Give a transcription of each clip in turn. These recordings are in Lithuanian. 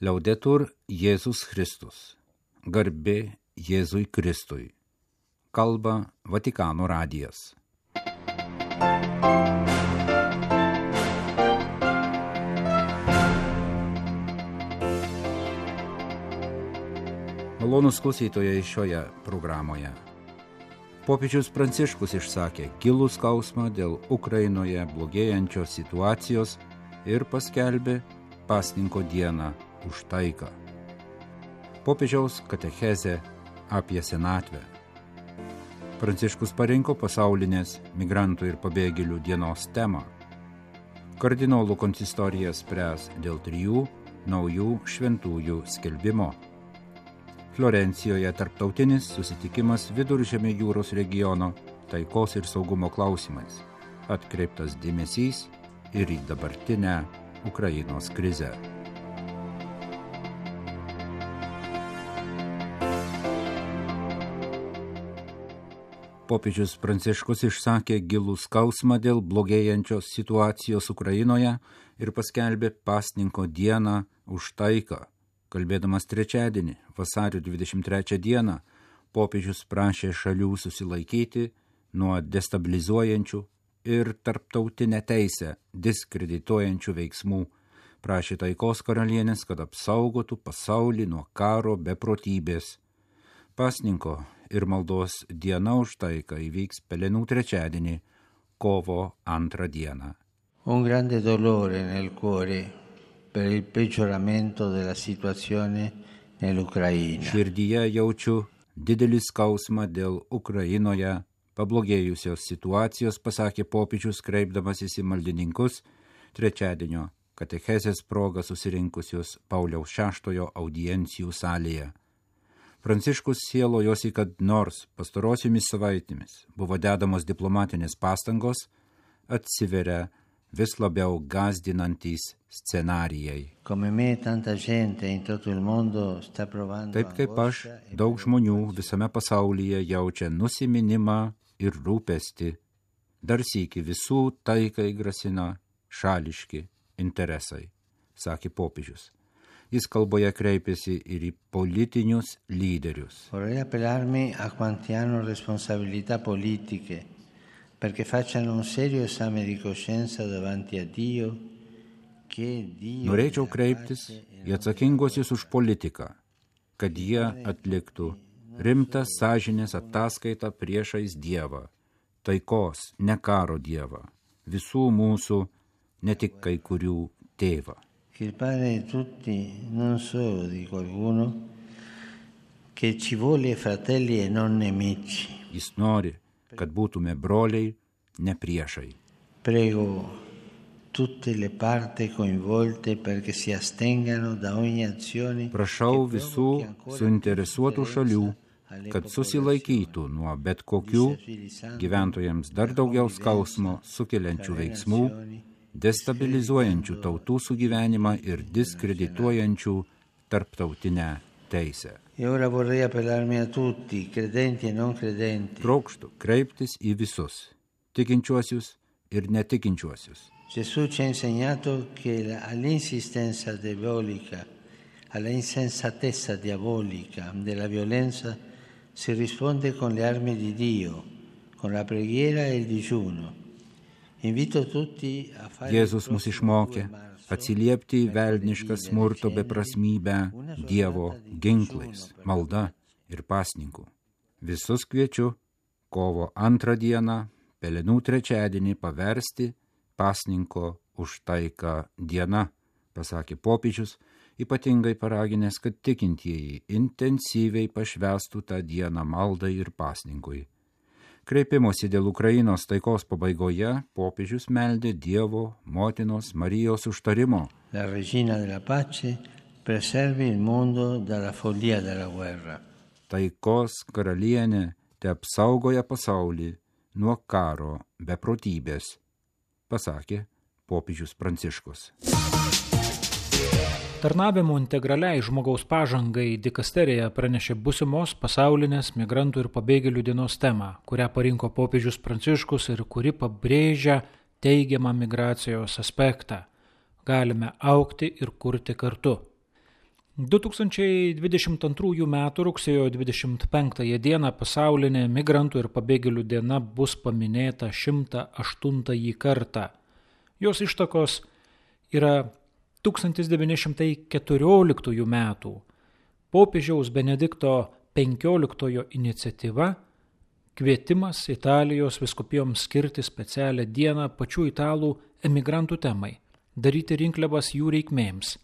Liaudetur Jėzus Kristus. Garbė Jėzui Kristui. Kalba Vatikano radijas. Malonūs klausytojai šioje programoje. Popiežius Pranciškus išsakė gilų skausmą dėl Ukrainoje blogėjančios situacijos ir paskelbė pasninko dieną už taiką. Popiežiaus katechezė apie senatvę. Pranciškus parinko pasaulinės migrantų ir pabėgėlių dienos temą. Kardinolų konsistorija spręs dėl 3 naujų šventųjų skelbimo. Florencijoje tarptautinis susitikimas Viduržemio jūros regiono taikos ir saugumo klausimais. Atkreiptas dėmesys ir į dabartinę Ukrainos krizę. Popiežius Pranciškus išsakė gilų skausmą dėl blogėjančios situacijos Ukrainoje ir paskelbė pasninko dieną už taiką. Kalbėdamas trečiadienį, vasario 23 dieną, popiežius prašė šalių susilaikyti nuo destabilizuojančių ir tarptautinę teisę diskredituojančių veiksmų. Prašė taikos karalienės, kad apsaugotų pasaulį nuo karo beprotybės. Pasninko ir maldos diena už taiką įvyks Pelenų trečiadienį, kovo 2 dieną. Un grande dolore nel cuore per il peggioramento della situazione nell'Ucraina. Širdyje jaučiu didelį skausmą dėl Ukrainoje pablogėjusios situacijos, pasakė popiežius, kreipdamasis į maldininkus trečiadienio katechezės proga susirinkusius Pauliaus VI audiencijų salėje. Pranciškus sielojosi, kad nors pastarosiomis savaitėmis buvo dedamos diplomatinės pastangos, atsiveria vis labiau gąsdinantys scenarijai. Taip kaip aš, daug žmonių visame pasaulyje jaučia nusiminimą ir rūpestį. Dar sykį visų taikai grasina šališki interesai, sakė popiežius. Jis kalboje kreipėsi ir į politinius lyderius. Vorrei appellarmi a quanti hanno responsabilità politiche perché facciano un serio esame di coscienza davanti a Dio. Norėčiau kreiptis į atsakinguosius už politiką, kad jie atliktų rimtą sąžinės ataskaitą priešais Dievą, taikos, ne karo Dievą, visų mūsų, ne tik kai kurių tėvą. Che il Padre di tutti, non solo di qualcuno, che ci vuole fratelli e non nemici. Jis nori, kad būtume broliai, ne priešai. Prego tutte le parti coinvolte perché si astengano da ogni azione. Prašau visų suinteresuotų šalių, kad susilaikytų nuo bet kokių gyventojams dar daugiau skausmo sukeliančių veiksmų, destabilizuojančių tautų sugyvenimą ir diskredituojančių tarptautinę teisę. E ora vorrei appellarmi a tutti, credenti e non credenti. Trokštu kreiptis į visus, tikinčiuosius ir netikinčiuosius. Gesù ci ha insegnato che all'insistenza diabolica, alla insensatezza diabolica della violenza si risponde con le armi di Dio, con la preghiera e il digiuno. Invito tutti a fare. Jėzus mus išmokė atsiliepti į velnišką smurto beprasmybę Dievo ginklais, malda ir pasninku. Visus kviečiu kovo 2 dieną, Pelenų trečiadienį paversti pasninko už taiką diena, pasakė popiežius, ypatingai paraginęs, kad tikintieji intensyviai pašvęstų tą dieną maldai ir pasninkui. Kreipimosi dėl Ukrainos taikos pabaigoje popiežius meldė Dievo motinos Marijos užtarimo. La regina della pace preservi il mondo dalla follia della guerra. Taikos karalienė te apsaugoja pasaulį nuo karo beprotybės, pasakė popiežius Pranciškus. Tarnavimo integraliai žmogaus pažangai dikasterija pranešė būsimos pasaulinės migrantų ir pabėgėlių dienos temą, kurią parinko popiežius Pranciškus ir kuri pabrėžia teigiamą migracijos aspektą. Galime augti ir kurti kartu. 2022 m. rugsėjo 25 dieną pasaulinė migrantų ir pabėgėlių diena bus paminėta 108 kartą. Jos ištakos yra 1914 metų popiežiaus Benedikto XV iniciatyva, kvietimas Italijos vyskupijoms skirti specialią dieną pačių italų emigrantų temai, daryti rinkliavas jų reikmėms,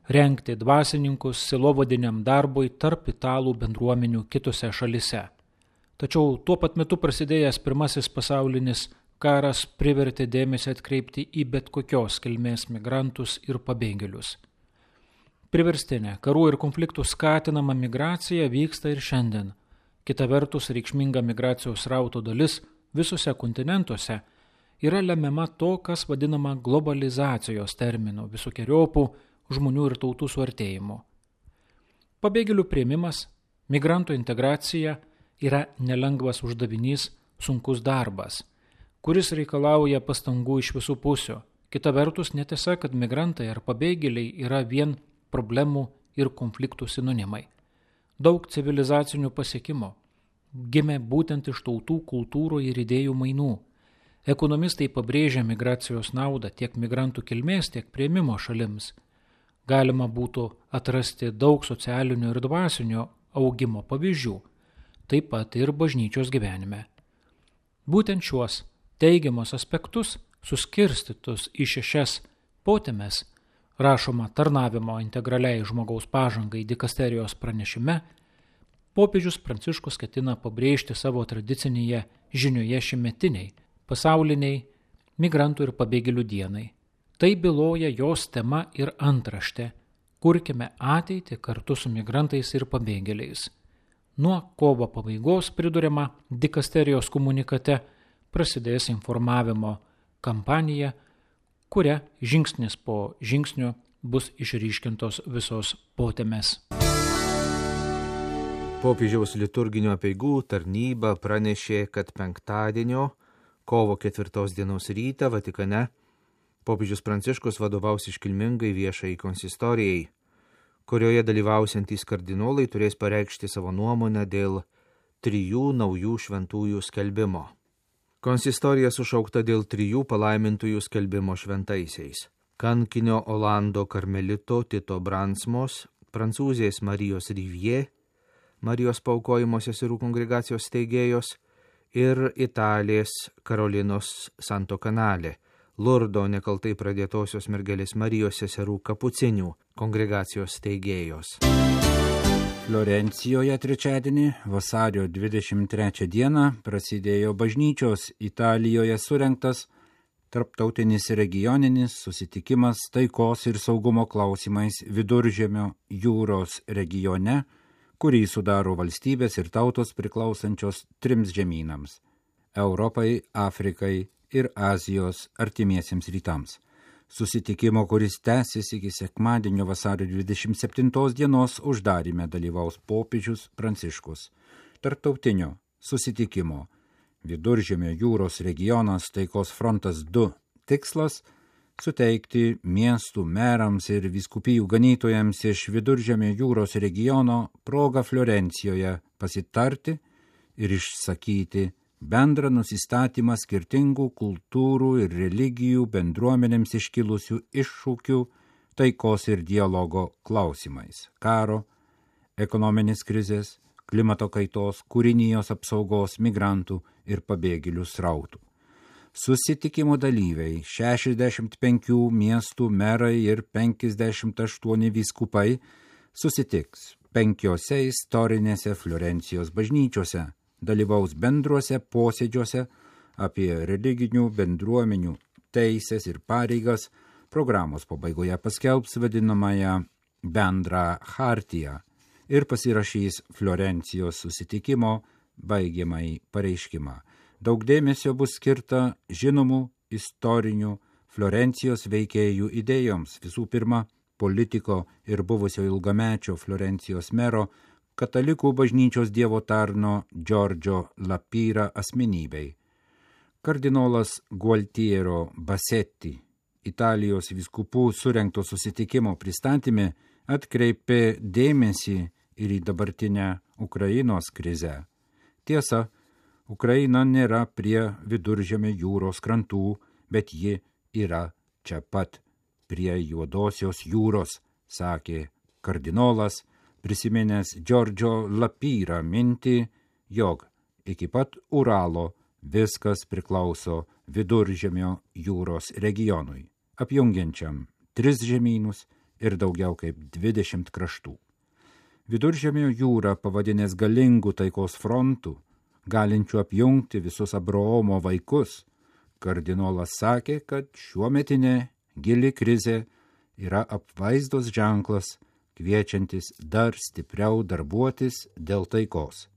rengti dvasininkus sielovadiniam darbui tarp italų bendruomenių kitose šalise. Tačiau tuo pat metu prasidėjęs Pirmasis pasaulinis karas privertė dėmesį atkreipti į bet kokios kilmės migrantus ir pabėgėlius. Priverstinė karų ir konfliktų skatinama migracija vyksta ir šiandien. Kita vertus, reikšminga migracijos srauto dalis visose kontinentuose yra lemiama to, kas vadinama globalizacijos terminu, visokiojopų žmonių ir tautų suartėjimu. Pabėgėlių priėmimas, migrantų integracija yra nelengvas uždavinys, sunkus darbas, kuris reikalauja pastangų iš visų pusių. Kita vertus, netiesa, kad migrantai ar pabėgėliai yra vien problemų ir konfliktų sinonimai. Daug civilizacinių pasiekimų gimė būtent iš tautų, kultūrų ir idėjų mainų. Ekonomistai pabrėžia migracijos naudą tiek migrantų kilmės, tiek priėmimo šalims. Galima būtų atrasti daug socialinio ir dvasinio augimo pavyzdžių, taip pat ir bažnyčios gyvenime. Būtent šiuos teigiamus aspektus, suskirstytus į 6 potemes, rašoma tarnavimo integraliai žmogaus pažangai dikasterijos pranešime, popiežius Pranciškus ketina pabrėžti savo tradicinėje žinioje šimetiniai, pasauliniai migrantų ir pabėgėlių dienai. Tai byloja jos tema ir antraštė – kurkime ateitį kartu su migrantais ir pabėgėliais. Nuo kovo pabaigos, priduriama dikasterijos komunikate, prasidės informavimo kampanija, kuria žingsnis po žingsnio bus išryškintos visos potemės. Popiežiaus liturginio apeigų tarnyba pranešė, kad penktadienio, kovo 4 dienos rytą Vatikane popiežius Pranciškus vadovaus iškilmingai viešai konsistorijai, kurioje dalyvausiantys kardinolai turės pareikšti savo nuomonę dėl 3 naujų šventųjų skelbimo. Konsistorija sušaukta dėl 3 palaimintųjų skelbimo šventaisiais: kankinio Olando karmelito Tito Bransmos, prancūzės Marijos Rivier, Marijos paaukojimo seserų kongregacijos steigėjos, ir Italės Karolinos Santo Canale, Lurdo nekaltai pradėtosios mergelės Marijos seserų kapucinių kongregacijos steigėjos. Florencijoje trečiadienį, vasario 23 dieną, prasidėjo bažnyčios Italijoje surengtas tarptautinis regioninis susitikimas taikos ir saugumo klausimais Viduržemio jūros regione, kurį sudaro valstybės ir tautos priklausančios 3 žemynams – Europai, Afrikai ir Azijos artimiesiems rytams. Susitikimo, kuris tęsis iki sekmadienio vasario 27 dienos, uždaryme dalyvaus popiežius Pranciškus. Tarptautinio susitikimo Viduržemio jūros regionas taikos frontas 2 tikslas – suteikti miestų merams ir vyskupijų ganytojams iš Viduržemio jūros regiono progą Florencijoje pasitarti ir išsakyti bendrą nusistatymą skirtingų kultūrų ir religijų bendruomenėms iškilusių iššūkių taikos ir dialogo klausimais – karo, ekonominės krizės, klimato kaitos, kūrinijos apsaugos, migrantų ir pabėgėlių srautų. Susitikimo dalyviai 65 miestų merai ir 58 vyskupai susitiks 5 istorinėse Florencijos bažnyčiose, dalyvaus bendruose posėdžiuose apie religinių bendruomenių teises ir pareigas, programos pabaigoje paskelbs vadinamąją bendrą chartiją ir pasirašys Florencijos susitikimo baigiamąjį pareiškimą. Daug dėmesio bus skirta žinomų istorinių Florencijos veikėjų idėjoms, visų pirma, politiko ir buvusio ilgamečio Florencijos mero, katalikų bažnyčios dievo tarno Giorgio Lapira asmenybei. Kardinolas Gualtiero Bassetti, Italijos vyskupų surengto susitikimo pristatyme atkreipė dėmesį ir į dabartinę Ukrainos krizę. Tiesa, Ukraina nėra prie Viduržemio jūros krantų, bet ji yra čia pat, prie Juodosios jūros, sakė kardinolas, prisiminęs Giorgio Lapyrą mintį, jog iki pat Uralo viskas priklauso Viduržemio jūros regionui, apjungiančiam 3 žemynus ir daugiau kaip 20 kraštų. Viduržemio jūrą pavadinęs galingų taikos frontų, galinčių apjungti visus Abraomo vaikus, kardinolas sakė, kad šiuometinė gili krizė yra apvaizdos ženklas, kviečiantis dar stipriau darbuotis dėl taikos.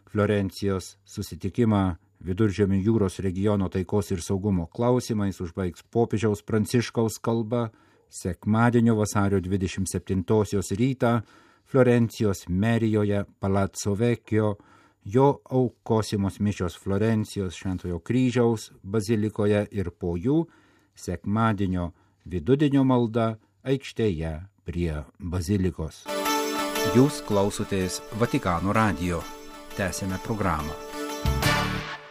Florencijos susitikimą Viduržemio jūros regiono taikos ir saugumo klausimais užbaigs popiežiaus Pranciškaus kalba sekmadienio vasario 27 rytą Florencijos merijoje Palazzo Vecchio, jo aukosimos mišios Florencijos Šventojo kryžiaus bazilikoje ir po jų sekmadienio vidudienio malda aikštėje prie bazilikos. Jūs klausotės Vatikano radijo. Tęsėme programą.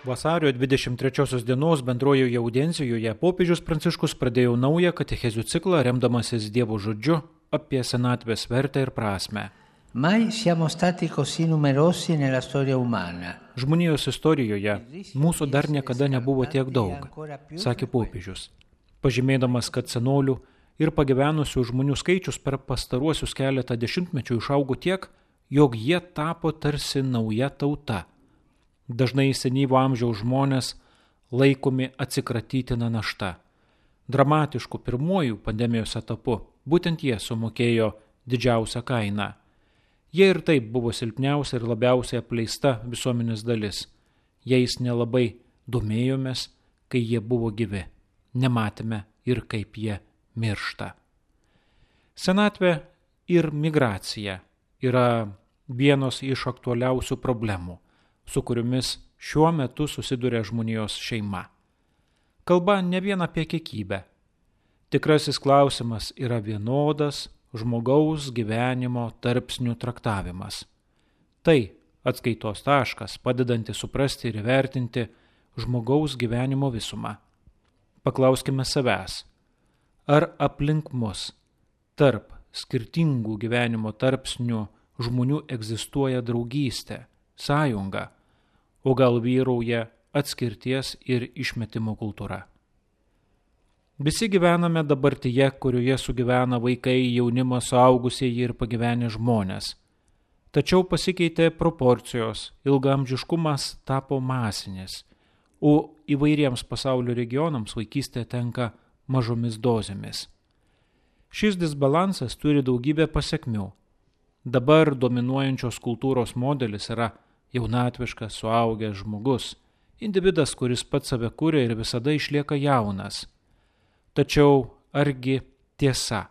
Vasario 23 dienos bendrojoje audiencijoje popiežius Pranciškus pradėjo naują katechezių ciklą, remdamasis Dievo žodžiu apie senatvės vertę ir prasmę. Mai siamo stati così numerosi nella storia umana. Žmonijos istorijoje mūsų dar niekada nebuvo tiek daug, sakė popiežius, pažymėdamas, kad senolių ir pagyvenusių žmonių skaičius per pastaruosius keletą dešimtmečių išaugo tiek, jog jie tapo tarsi nauja tauta. Dažnai senyvo amžiaus žmonės laikomi atsikratytina našta. Dramatišku pirmuoju pandemijos etapu būtent jie sumokėjo didžiausią kainą. Jie ir taip buvo silpniausia ir labiausiai apleista visuomenės dalis. Jais nelabai domėjomės, kai jie buvo gyvi. Nematėme ir kaip jie miršta. Senatvė ir migracija yra vienos iš aktualiausių problemų, su kuriomis šiuo metu susiduria žmonijos šeima. Kalba ne vien apie kiekybę. Tikrasis klausimas yra vienodas žmogaus gyvenimo tarpsnių traktavimas. Tai atskaitos taškas, padedantis suprasti ir įvertinti žmogaus gyvenimo visumą. Paklauskime savęs, ar aplink mus tarp skirtingų gyvenimo tarpsnių žmonių egzistuoja draugystė, sąjunga, o gal vyrauja atskirties ir išmetimo kultūra. Visi gyvename dabartyje, kurioje sugyvena vaikai, jaunimas, suaugusieji ir pagyvenę žmonės. Tačiau pasikeitė proporcijos, ilgaamžiškumas tapo masinis, o įvairiems pasaulio regionams vaikystė tenka mažomis dozėmis. Šis disbalansas turi daugybę pasekmių. Dabar dominuojančios kultūros modelis yra jaunatviškas, suaugęs žmogus, individas, kuris pats save kuria ir visada išlieka jaunas. Tačiau argi tiesa,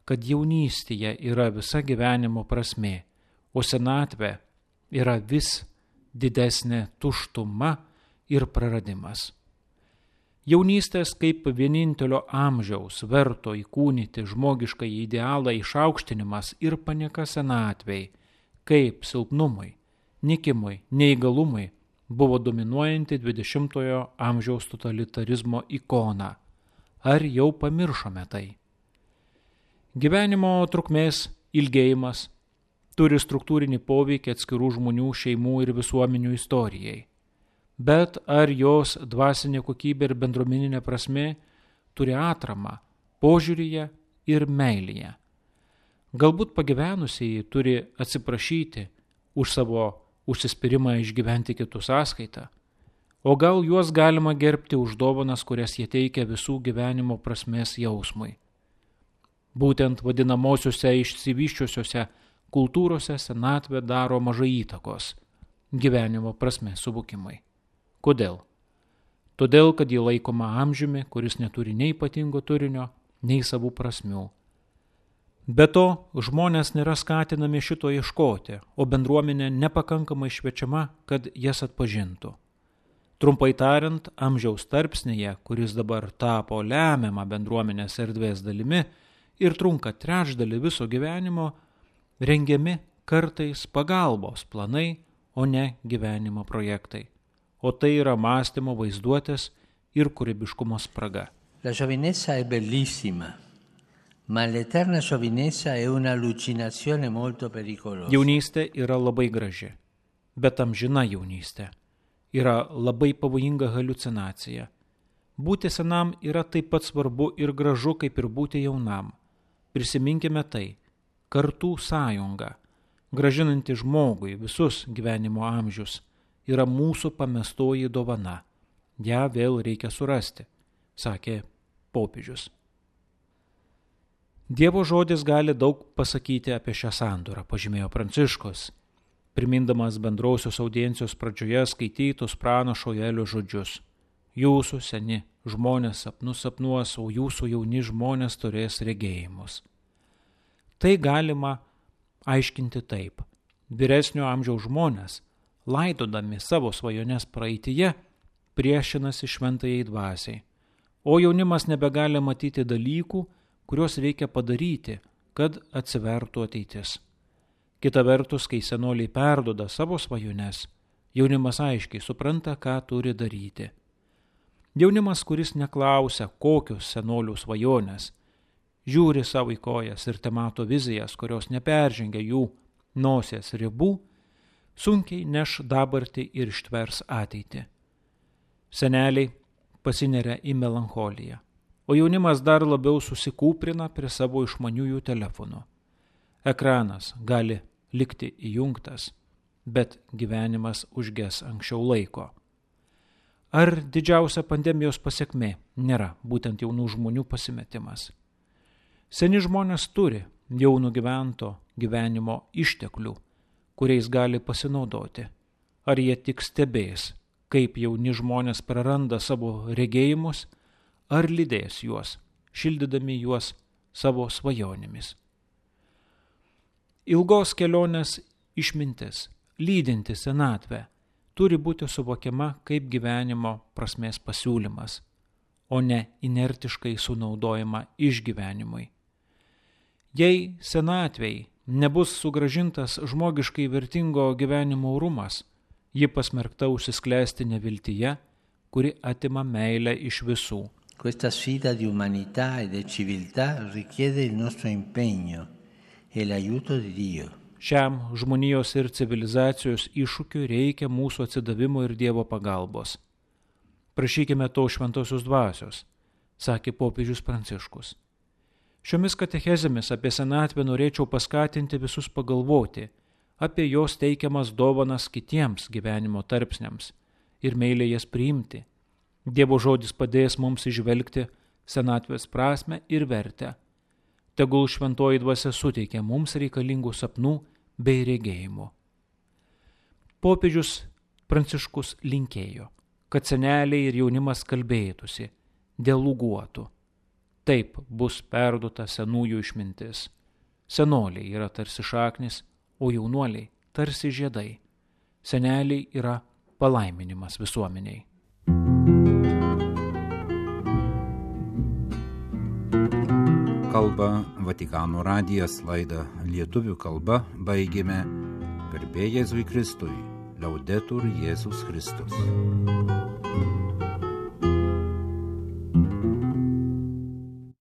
kad jaunystėje yra visa gyvenimo prasmė, o senatvė yra vis didesnė tuštuma ir praradimas. Jaunystės kaip vienintelio amžiaus verto įkūnyti žmogišką idealą išaukštinimas ir panieka senatvei, kaip silpnumui, nikimui, neįgalumui buvo dominuojanti 20-ojo amžiaus totalitarizmo ikona. Ar jau pamiršome tai? Gyvenimo trukmės ilgėjimas turi struktūrinį poveikį atskirų žmonių, šeimų ir visuomenių istorijai. Bet ar jos dvasinė kokybė ir bendruomeninė prasmė turi atramą požiūryje ir meilėje? Galbūt pagyvenusieji turi atsiprašyti už savo užsispyrimą išgyventi kitų sąskaitą, o gal juos galima gerbti už dovanas, kurias jie teikia visų gyvenimo prasmės jausmui. Būtent vadinamosiuose išsivyščiusiuose kultūrose senatvė daro mažai įtakos gyvenimo prasmės suvokimui. Kodėl? Todėl, kad ji laikoma amžiumi, kuris neturi nei ypatingo turinio, nei savų prasmių. Be to, žmonės nėra skatinami šito ieškoti, o bendruomenė nepakankamai šviečiama, kad jas atpažintų. Trumpai tariant, amžiaus tarpsnyje, kuris dabar tapo lemiamą bendruomenės erdvės dalimi ir trunka trečdalį viso gyvenimo, rengiami kartais pagalbos planai, o ne gyvenimo projektai. O tai yra mąstymo, vaizduotės ir kūrybiškumo spraga. La giovinezza è bellissima, ma l'eterna giovinezza è un'allucinazione molto pericolosa. Jaunystė yra labai graži, bet amžina jaunystė yra labai pavojinga haliucinacija. Būti senam yra taip pat svarbu ir gražu, kaip ir būti jaunam. Prisiminkime tai, kartų sąjunga, gražinanti žmogui visus gyvenimo amžius, yra mūsų pamestoji dovana. Ja vėl reikia surasti, sakė popiežius. Dievo žodis gali daug pasakyti apie šią sandorą, pažymėjo Pranciškus, primindamas bendrausios audiencijos pradžioje skaitytus pranašo Joelio žodžius. Jūsų seni žmonės sapnus sapnuos, o jūsų jauni žmonės turės regėjimus. Tai galima aiškinti taip. Vyresnio amžiaus žmonės, laidodami savo svajones praeityje, priešinasi šventajai dvasiai, o jaunimas nebegali matyti dalykų, kuriuos reikia padaryti, kad atsivertų ateitis. Kita vertus, kai senoliai perduoda savo svajones, jaunimas aiškiai supranta, ką turi daryti. Jaunimas, kuris neklausia, kokios senolių svajonės, žiūri savo į kojas ir temato vizijas, kurios neperžengia jų nosies ribų, sunkiai neš dabartį ir ištvers ateitį. Seneliai pasineria į melancholiją, o jaunimas dar labiau susikūprina prie savo išmaniųjų telefonų. Ekranas gali likti įjungtas, bet gyvenimas užges anksčiau laiko. Ar didžiausia pandemijos pasekmė nėra būtent jaunų žmonių pasimetimas? Seni žmonės turi jau nugyvento gyvenimo išteklių, kuriais gali pasinaudoti. Ar jie tik stebės, kaip jauni žmonės praranda savo regėjimus, ar lydės juos, šildydami juos savo svajonėmis. Ilgos kelionės išmintis, lydinti senatvę, turi būti suvokiama kaip gyvenimo prasmės pasiūlymas, o ne inertiškai sunaudojama išgyvenimui. Jei senatvei nebus sugrąžintas žmogiškai vertingo gyvenimo orumas, ji pasmerkta užsisklęsti neviltyje, kuri atima meilę iš visų. Questa sfida di umanità e di civiltà richiede il nostro impegno e l'aiuto di Dio. Šiam žmonijos ir civilizacijos iššūkiui reikia mūsų atsidavimo ir Dievo pagalbos. Prašykime to šventosios dvasios, sakė popiežius Pranciškus. Šiomis katechezėmis apie senatvę norėčiau paskatinti visus pagalvoti apie jos teikiamas dovanas kitiems gyvenimo tarpsniams ir meiliai jas priimti. Dievo žodis padės mums įžvelgti senatvės prasmę ir vertę. Tegul šventoji dvasia suteikia mums reikalingų sapnų bei regėjimų. Popiežius Pranciškus linkėjo, kad seneliai ir jaunimas kalbėtųsi, dialoguotų. Taip bus perduota senųjų išmintis. Senoliai yra tarsi šaknis, o jaunuoliai tarsi žiedai. Seneliai yra palaiminimas visuomeniai. Kalba Vatikano radijas, laidą lietuvių kalba baigėme. Garbė Jėzui Kristui, Laudetur Jėzus Kristus.